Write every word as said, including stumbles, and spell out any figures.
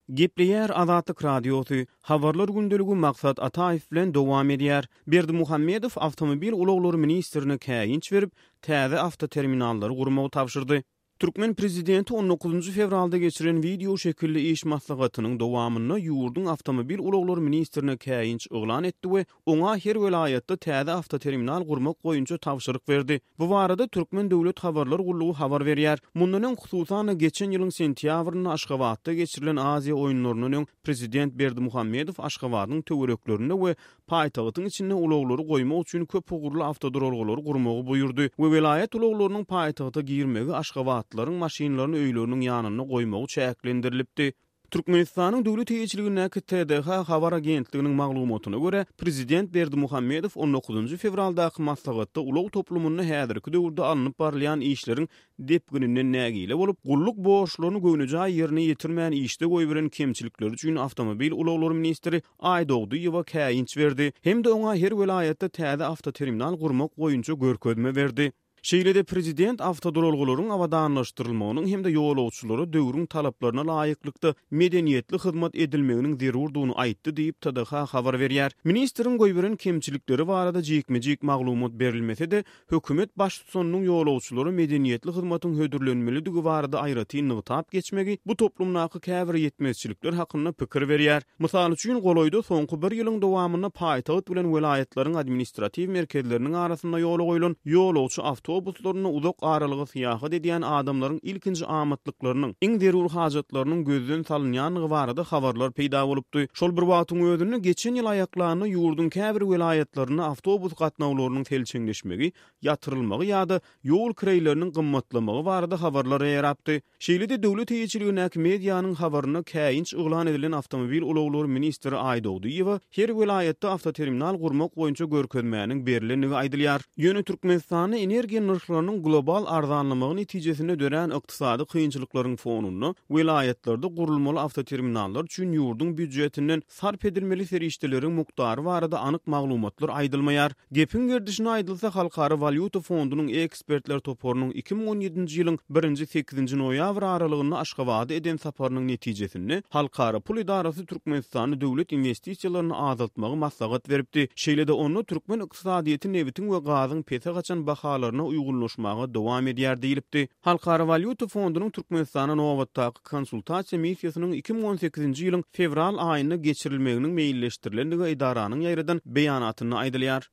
Gepleýär Azatlyk Radiosy, Habarlar gündeligi Maksat Ataýew bilen dowam edýär. Berdimuhamedow awtomobil ulaglary ministrine käýinç berip, täze awtoterminallary gurmagy tabşyrdy. Türkmen prezidenti on dokuzynjy fewralda geçiren wideo şekilli iş maslahatynyň dowamynda ýurduň awtomobil ulaglary ministrine käýinç yglan etdi we oňa her welaýatda täze awtoterminal gurmak boýunça tabşyryk berdi. Bu barada Türkmen döwlet habarlar gullugy habar berýär. Mundan öň, hususan-da, geçen ýylyň sentýabrynda Aşgabatda geçirilen Aziýa oýunlaryndan öň prezident Berdimuhamedow Aşgabadyň töwereklerinde we paýtagtyň içinde ulaglary goýmak üçin köp ugurly awtoduralgalary gurmagy buýurdy we welaýat ulaglarynyň paýtagta girmegi aşgabatlylaryň maşynlaryny öýleriniň ýanynda goýmagy çäklendirilipdi. Türkmenistanyň döwlet eýeçiligindäki T D H habar agentliginiň maglumatyna görä, prezident Berdimuhamedow on dokuzynjy fewraldaky maslahatda ulag toplumynda häzirki döwürde alnyp barylýan işleriň depgininden nägile bolup, gulluk borçlaryny göwnejaý ýerine ýetirmän işde goýberen kemçilikleri üçin awtomobil ulaglary ministri Aýdogdyýewa käýinç berdi hem-de oňa her welaýatda täze awtoterminal gurmak boýunça görkezme berdi. Şeýle-de prezident awtoduralgalaryň abadanlaşdyrylmagynyň hem-de ýolagçylara döwrüň talaplaryna laýyklykda medeniýetli hyzmat edilmeginiň zerurdygyny aýtdy diýip, T D H habar berýär. Ministriň goýberen kemçilikleri barada jikme-jik maglumat berilmese-de, hökümet baştutanynyň ýolagçylara medeniýetli hyzmatyň hödürlenmelidigi barada aýratyn nygtap geçmegi bu toplumdaky käbir ýetmezçilikler hakynda pikir berýär. Mysal üçin, golaýda soňky bir ýylyň dowamynda paýtagt bilen welaýatlaryň administratiw merkezleriniň arasynda ýola goýlan ýolagçy awtobuslarynda uzak aralyga syýahat edýän adamlaryň ilkinji amatlyklarynyň, iň zerur hajatlarynyň gözden salynýandygy barada habarlar peýda bolupdy. Şol bir wagtyň özünde geçen ýyl aýaklarynda ýurduň käbir welaýatlarynda awtobus gatnawlarynyň selçeňleşmegi, ýatyrylmagy ýa-da ýol kireýleriniň gymmatlamagy barada habarlar ýaýrapdy. Şeýle-de döwlet eýeçiligindäki medianyň habarynda käýinç yglan edilen awtomobil ulaglary ministri Aýdogdyýewa her welaýatda awtoterminal gurmak boýunça görkezmäniň berilendigi aýdylýar. Ýöne Türkmenistanda energiýa nyrhlarynyň global arzanlamagy netijesinde dörän ykdysady kynçylyklaryň fonunda welaýatlarda gurulmaly awtoterminallar üçin ýurduň býujetinden sarp edilmeli serişdeleriň mukdary barada anyk maglumatlar aýdylmaýar. Gepiň gerdişine aýdylsa, Halkara walýuta fondunyň ekspertler toparynyň iki müň on ýedinji ýylyň birinji sekizinji noýabr aralygynda Aşgabada eden saparynyň netijesinde Halkara pul edarasy Türkmenistanda döwlet investisiýalaryny azaltmagy maslahat beripdi. Şeýle-de onda türkmen ykdysadyýeti nebitiň we gazyň pese gaçan bahalaryna uýgunlaşmaga dowam edýär diýilipdi. Halkara walýuta fondunyň Türkmenistana nobatdaky konsultasiýa missiýasynyň iki müň on sekizinji ýylyň fewral aýynda geçirilmeginiň meýilleşdirilendigi edaranyň ýaýradan beýanatynda aýdylýar.